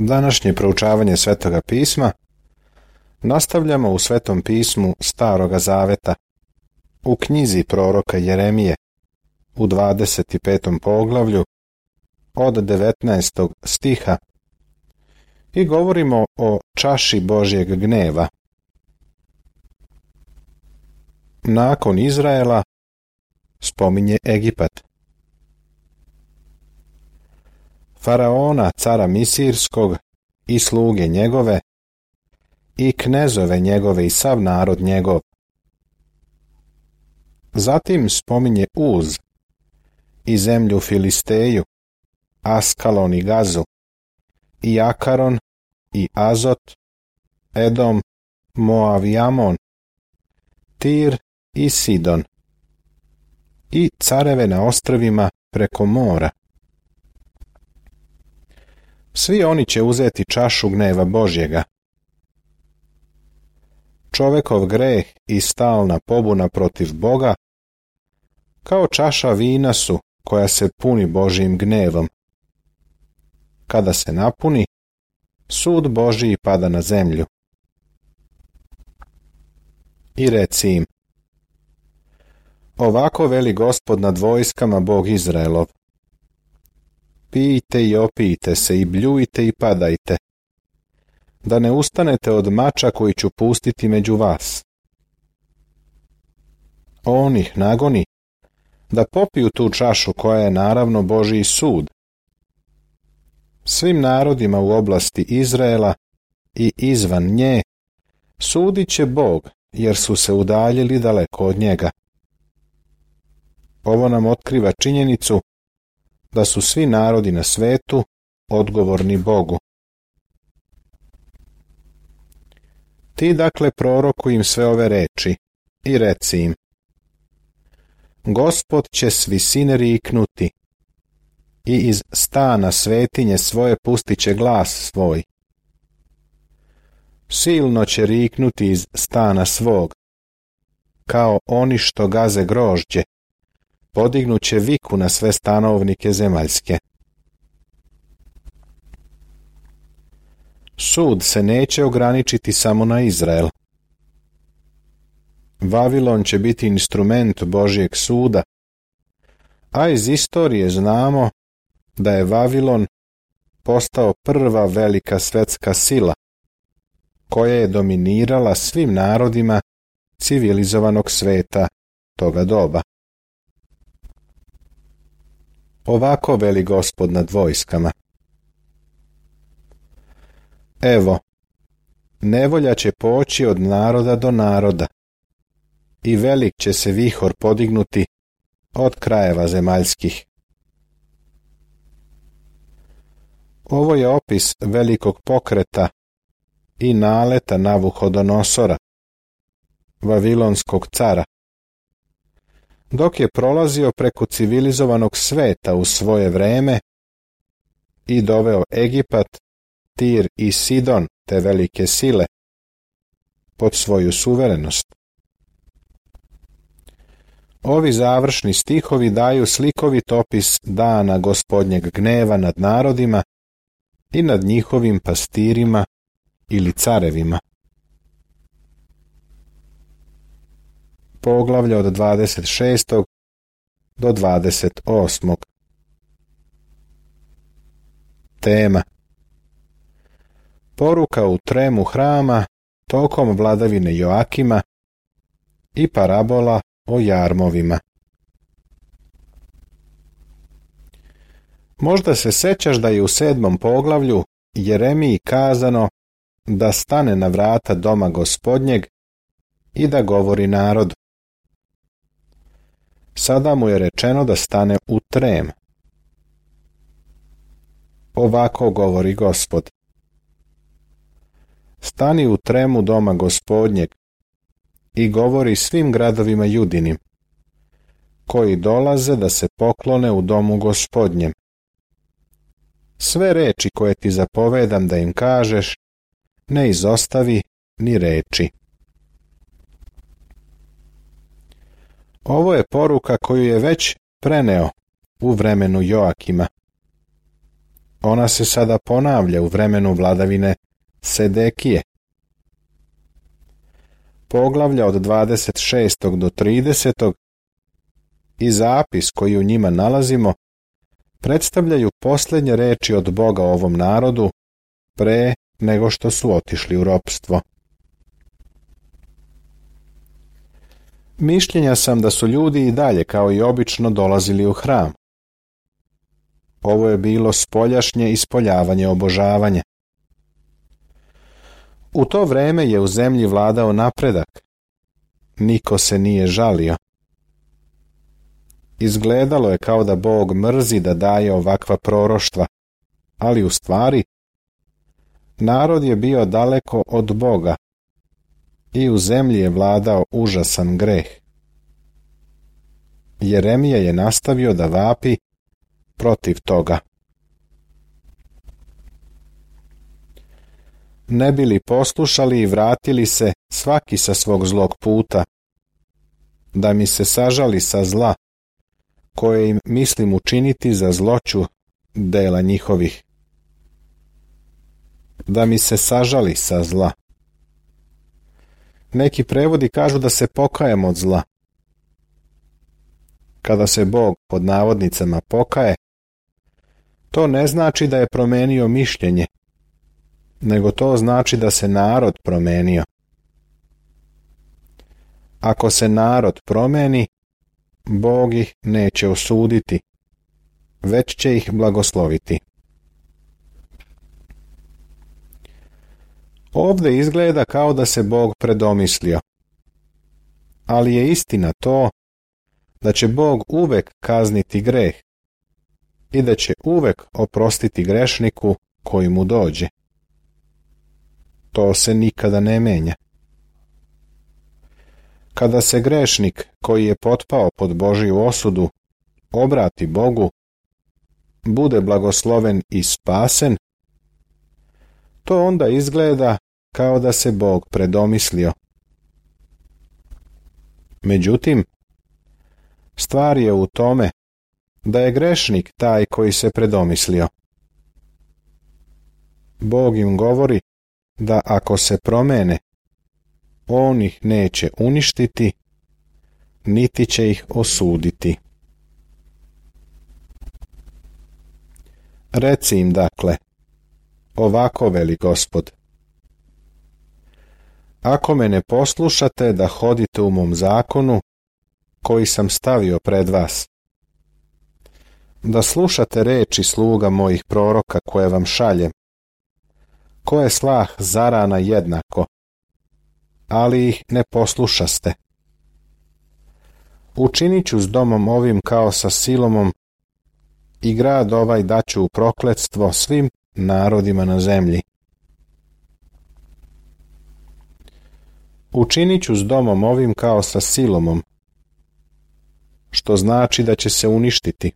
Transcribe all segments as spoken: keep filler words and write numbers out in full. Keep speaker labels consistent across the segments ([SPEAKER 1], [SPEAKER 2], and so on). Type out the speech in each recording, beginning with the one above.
[SPEAKER 1] Današnje proučavanje Svetoga pisma nastavljamo u Svetom pismu Staroga zaveta, u knjizi proroka Jeremije, u dvadeset petom poglavlju, od devetnaestog stiha, i govorimo o čaši Božjeg gneva. Nakon Izraela spominje Egipat. Faraona, cara Misirskog, i sluge njegove, i knezove njegove i sav narod njegov. Zatim spominje Uz, i zemlju Filisteju, Askalon i Gazu, i Akaron, i Azot, Edom, Moav i Amon, Tir i Sidon, i careve na ostrvima preko mora. Svi oni će uzeti čašu gneva Božjega. Čovekov greh i stalna pobuna protiv Boga kao čaša vina su koja se puni Božjim gnevom. Kada se napuni, sud Božji pada na zemlju. I reci im: ovako veli Gospod nad vojskama, Bog Izraelov: pijte i opijte se i bljujte i padajte, da ne ustanete od mača koji ću pustiti među vas. On ih nagoni da popiju tu čašu koja je naravno Božji sud. Svim narodima u oblasti Izraela i izvan nje sudit će Bog, jer su se udaljili daleko od njega. Ovo nam otkriva činjenicu da su svi narodi na svetu odgovorni Bogu. Ti dakle prorokuj im sve ove reči i reci im: Gospod će s visine riknuti i iz stana svetinje svoje pustit će glas svoj. Silno će riknuti iz stana svog, kao oni što gaze grožđe, podignut će viku na sve stanovnike zemaljske. Sud se neće ograničiti samo na Izrael. Vavilon će biti instrument Božjeg suda, a iz istorije znamo da je Vavilon postao prva velika svetska sila, koja je dominirala svim narodima civilizovanog sveta toga doba. Ovako veli Gospod nad vojskama: evo, nevolja će poći od naroda do naroda, i velik će se vihor podignuti od krajeva zemaljskih. Ovo je opis velikog pokreta i naleta Navuhodonosora, vavilonskog cara, dok je prolazio preko civilizovanog sveta u svoje vreme i doveo Egipat, Tir i Sidon, te velike sile, pod svoju suverenost. Ovi završni stihovi daju slikovit opis dana Gospodnjeg gneva nad narodima i nad njihovim pastirima ili carevima. Poglavlje od dvadeset šestog do dvadeset osmog. Tema: poruka u tremu hrama tokom vladavine Joakima i parabola o jarmovima. Možda se sećaš da je u sedmom poglavlju Jeremiji kazano da stane na vrata doma Gospodnjeg i da govori narodu. Sada mu je rečeno da stane u trem. Ovako govori Gospod: stani u tremu doma Gospodnjeg i govori svim gradovima Judinim, koji dolaze da se poklone u domu Gospodnjem. Sve reči koje ti zapovedam da im kažeš, ne izostavi ni reči. Ovo je poruka koju je već preneo u vremenu Joakima. Ona se sada ponavlja u vremenu vladavine Sedekije. Poglavlja od dvadeset šestog do tridesetog i zapis koji u njima nalazimo predstavljaju posljednje reči od Boga ovom narodu pre nego što su otišli u ropstvo. Mišljenja sam da su ljudi i dalje kao i obično dolazili u hram. Ovo je bilo spoljašnje ispoljavanje obožavanja. U to vreme je u zemlji vladao napredak. Niko se nije žalio. Izgledalo je kao da Bog mrzi da daje ovakva proroštva, ali u stvari narod je bio daleko od Boga i u zemlji je vladao užasan greh. Jeremija je nastavio da vapi protiv toga. Ne bi li poslušali i vratili se svaki sa svog zlog puta, da mi se sažali sa zla, koje im mislim učiniti za zloću dela njihovih. Da mi se sažali sa zla. Neki prevodi kažu da se pokajem od zla. Kada se Bog pod navodnicama pokaje, to ne znači da je promenio mišljenje, nego to znači da se narod promenio. Ako se narod promeni, Bog ih neće osuditi, već će ih blagosloviti. Ovdje izgleda kao da se Bog predomislio, ali je istina to da će Bog uvek kazniti greh i da će uvek oprostiti grešniku koji mu dođe. To se nikada ne menja. Kada se grešnik koji je potpao pod Božju osudu obrati Bogu, bude blagosloven i spasen, to onda izgleda kao da se Bog predomislio. Međutim, stvar je u tome da je grešnik taj koji se predomislio. Bog im govori da ako se promene, on ih neće uništiti, niti će ih osuditi. Reci im dakle, ovako veli Gospod: ako me ne poslušate da hodite u mom zakonu, koji sam stavio pred vas, da slušate reči sluga mojih proroka koje vam šaljem, koje slah zarana jednako, ali ih ne poslušaste. Učinit ću s domom ovim kao sa Silomom i grad ovaj daću u prokletstvo svim narodima na zemlji. Učinit ću s domom ovim kao sa Silomom, što znači da će se uništiti.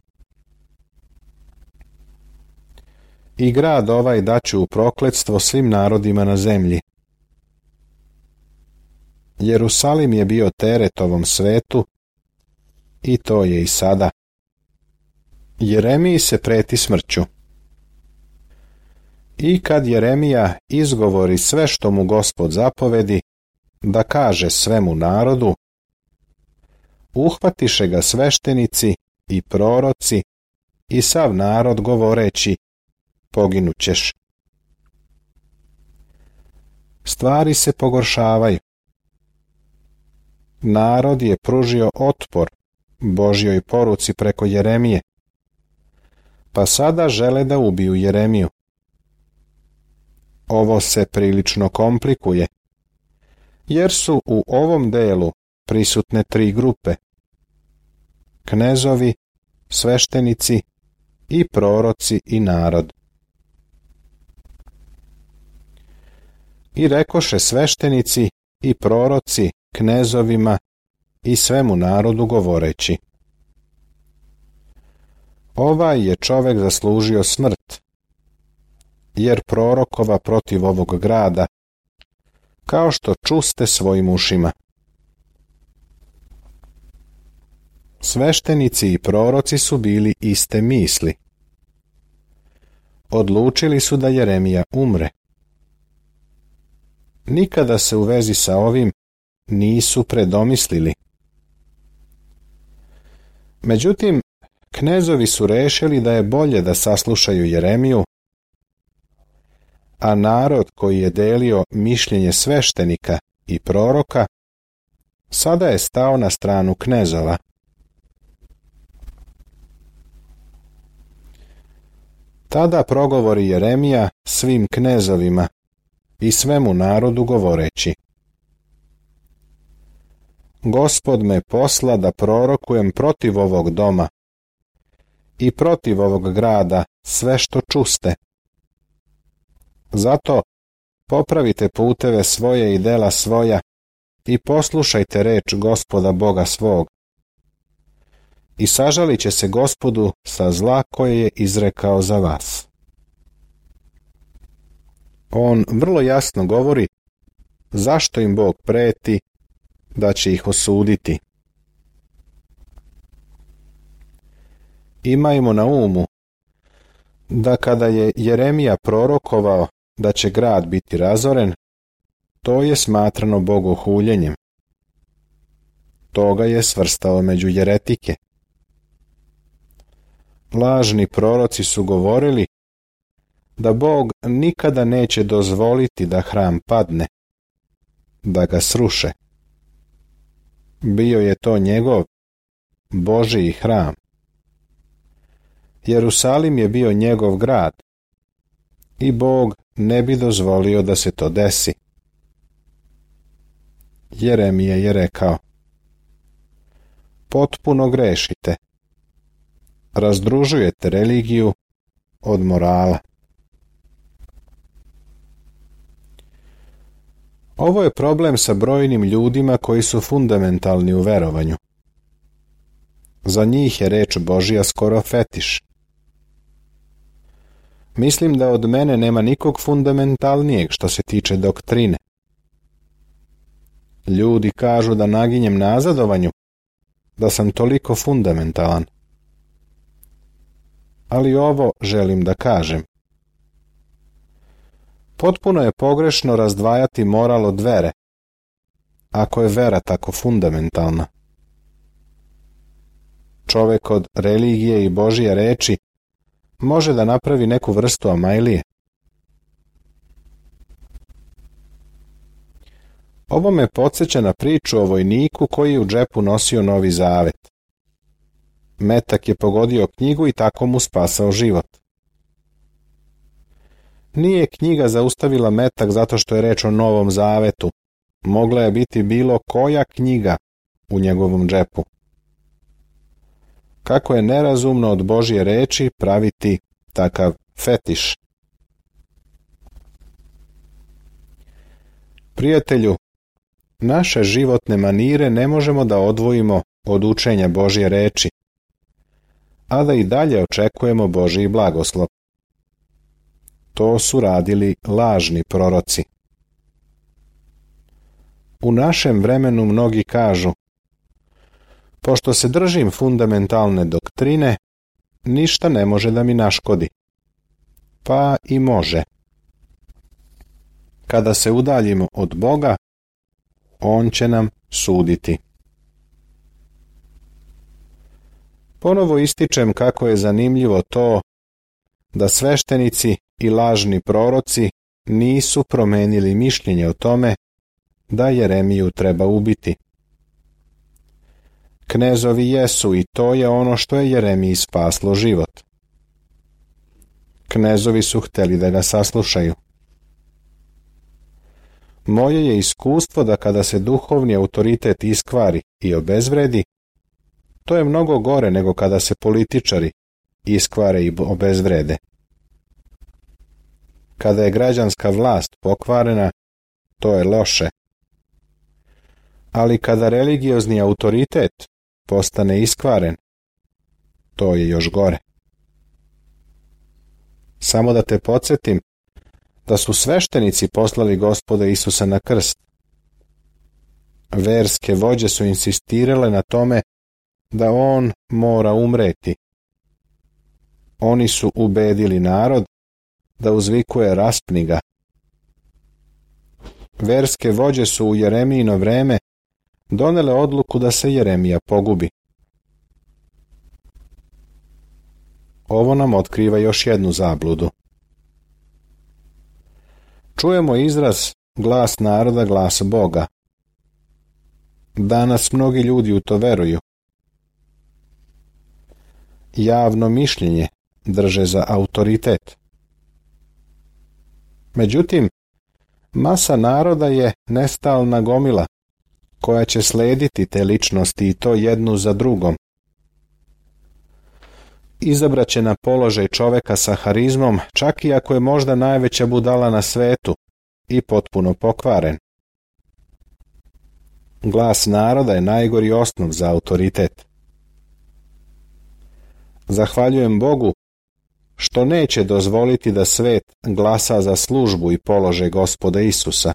[SPEAKER 1] I grad ovaj daću u prokletstvo svim narodima na zemlji. Jerusalim je bio teret ovom svetu i to je i sada. Jeremiji se preti smrću. I kad Jeremija izgovori sve što mu Gospod zapovedi, da kaže svemu narodu, uhvatiše ga sveštenici i proroci i sav narod govoreći, poginućeš. Stvari se pogoršavaju. Narod je pružio otpor Božjoj poruci preko Jeremije, pa sada žele da ubiju Jeremiju. Ovo se prilično komplikuje, jer su u ovom delu prisutne tri grupe: knezovi, sveštenici i proroci i narod. I rekoše sveštenici i proroci knezovima i svemu narodu govoreći: ovaj je čovek zaslužio smrt, jer prorokova protiv ovog grada, kao što čuste svojim ušima. Sveštenici i proroci su bili iste misli. odlučili su da Jeremija umre. Nikada se u vezi sa ovim nisu predomislili. Međutim, knezovi su rešili da je bolje da saslušaju Jeremiju, a narod koji je delio mišljenje sveštenika i proroka sada je stao na stranu knezova. Tada progovori Jeremija svim knezovima i svemu narodu govoreći: Gospod me posla da prorokujem protiv ovog doma i protiv ovog grada sve što čuste. Zato popravite puteve svoje i dela svoja i poslušajte reč Gospoda Boga svog. I sažalit će se Gospodu sa zla koje je izrekao za vas. On vrlo jasno govori zašto im Bog preti da će ih osuditi. Imajmo na umu da kada je Jeremija prorokovao da će grad biti razoren, to je smatrano bogohuljenjem. To ga je svrstao među jeretike. Lažni proroci su govorili da Bog nikada neće dozvoliti da hram padne, da ga sruše. Bio je to njegov, Božji hram. Jerusalim je bio njegov grad i Bog ne bi dozvolio da se to desi. Jeremija je rekao: Potpuno grešite. Razdružujete religiju od morala. Ovo je problem sa brojnim ljudima koji su fundamentalni u verovanju. Za njih je reč Božja skoro fetiš. Mislim da od mene nema nikog fundamentalnijeg što se tiče doktrine. Ljudi kažu da naginjem nazadovanju, da sam toliko fundamentalan. Ali ovo želim da kažem. Potpuno je pogrešno razdvajati moral od vere, ako je vera tako fundamentalna. Čovek od religije i Božje reči može da napravi neku vrstu amajlije. Ovo me podsjeća na priču o vojniku koji je u džepu nosio Novi Zavet. Metak je pogodio knjigu i tako mu spasao život. Nije knjiga zaustavila metak zato što je reč o Novom Zavetu. Mogla je biti bilo koja knjiga u njegovom džepu. Kako je nerazumno od Božje reči praviti takav fetiš. Prijatelju, naše životne manire ne možemo da odvojimo od učenja Božje reči, a da i dalje očekujemo Božji blagoslov. To su radili lažni proroci. U našem vremenu mnogi kažu: pošto se držim fundamentalne doktrine, ništa ne može da mi naškodi. Pa i može. Kada se udaljimo od Boga, On će nam suditi. Ponovo ističem kako je zanimljivo to da sveštenici i lažni proroci nisu promenili mišljenje o tome da Jeremiju treba ubiti. Knezovi jesu i to je ono što je Jeremiji spaslo život. Knezovi su hteli da ga saslušaju. Moje je iskustvo da kada se duhovni autoritet iskvari i obezvredi, to je mnogo gore nego kada se političari iskvare i obezvrede. Kada je građanska vlast pokvarena, to je loše. Ali kada religiozni autoritet postane iskvaren, to je još gore. Samo da te podsjetim da su sveštenici poslali Gospoda Isusa na krst. Verske vođe su insistirale na tome da on mora umreti. Oni su ubedili narod da uzvikuje raspni ga. Verske vođe su u Jeremijino vreme donele odluku da se Jeremija pogubi. Ovo nam otkriva još jednu zabludu. Čujemo izraz glas naroda, glas Boga. Danas mnogi ljudi u to veruju. Javno mišljenje drže za autoritet. Međutim, masa naroda je nestalna gomila koja će slediti te ličnosti i to jednu za drugom. Izabraće na položaj čoveka sa harizmom, čak i ako je možda najveća budala na svetu i potpuno pokvaren. Glas naroda je najgori osnov za autoritet. Zahvaljujem Bogu što neće dozvoliti da svet glasa za službu i položaj Gospoda Isusa.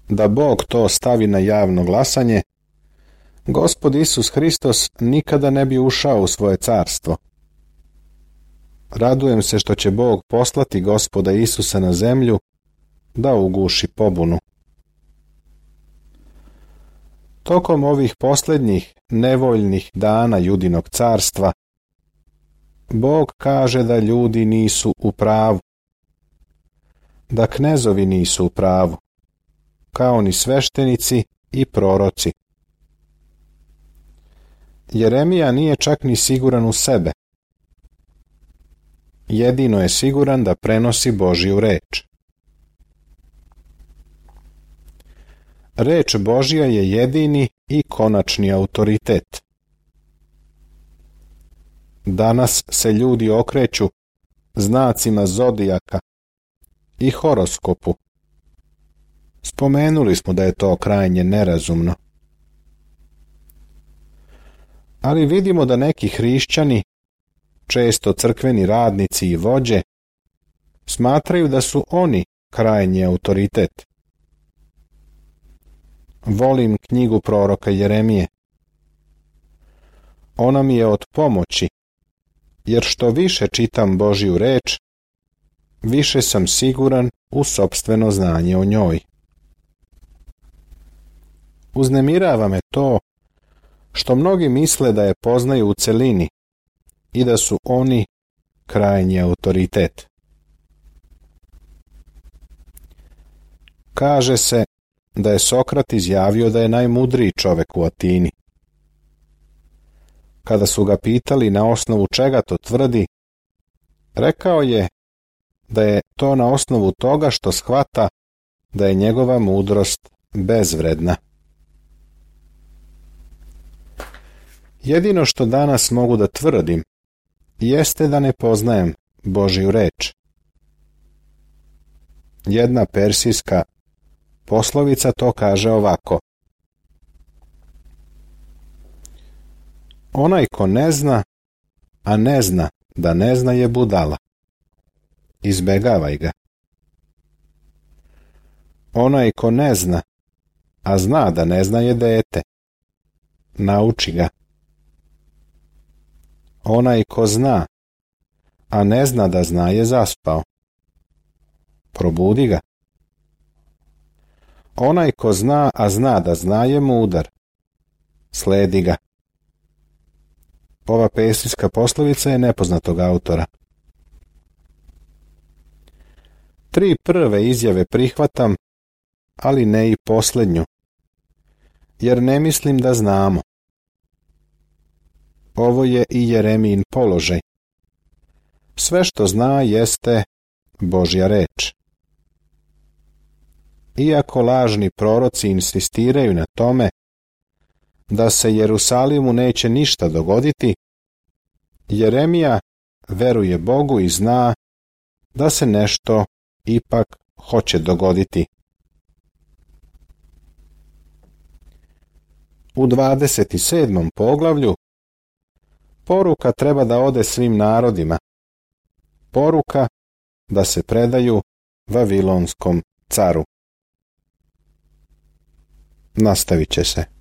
[SPEAKER 1] Da Bog to stavi na javno glasanje, Gospod Isus Hristos nikada ne bi ušao u svoje carstvo. Radujem se što će Bog poslati Gospoda Isusa na zemlju da uguši pobunu. Tokom ovih posljednjih nevoljnih dana Judinog carstva, Bog kaže da ljudi nisu u pravu, da knezovi nisu u pravu, kao ni sveštenici i proroci. Jeremija nije čak ni siguran u sebe. Jedino je siguran da prenosi Božju reč. Reč Božja je jedini i konačni autoritet. Danas se ljudi okreću znacima zodijaka i horoskopu. Spomenuli smo da je to krajnje nerazumno. Ali vidimo da neki hrišćani, često crkveni radnici i vođe, smatraju da su oni krajnji autoritet. Volim knjigu proroka Jeremije. Ona mi je od pomoći, jer što više čitam Božju reč, više sam siguran u sopstveno znanje o njoj. Uznemirava me to što mnogi misle da je poznaju u celini i da su oni krajnji autoritet. Kaže se da je Sokrat izjavio da je najmudriji čovek u Atini. Kada su ga pitali na osnovu čega to tvrdi, rekao je da je to na osnovu toga što shvata da je njegova mudrost bezvredna. Jedino što danas mogu da tvrdim jeste da ne poznajem Božju reč. Jedna persijska poslovica to kaže ovako: onaj ko ne zna, a ne zna da ne zna je budala. Izbegavaj ga. Onaj ko ne zna, a zna da ne zna je dete. Nauči ga. Onaj ko zna, a ne zna da zna je zaspao. Probudi ga. Onaj ko zna, a zna da zna je mudar. Sledi ga. Ova persijska poslovica je nepoznatog autora. Tri prve izjave prihvatam, ali ne i posljednju, jer ne mislim da znamo. Ovo je i Jeremijin položaj. Sve što zna jeste Božja reč. Iako lažni proroci insistiraju na tome da se Jerusalimu neće ništa dogoditi, Jeremija veruje Bogu i zna da se nešto ipak hoće dogoditi. U dvadeset sedmom poglavlju poruka treba da ode svim narodima. Poruka da se predaju Vavilonskom caru. Nastavit će se.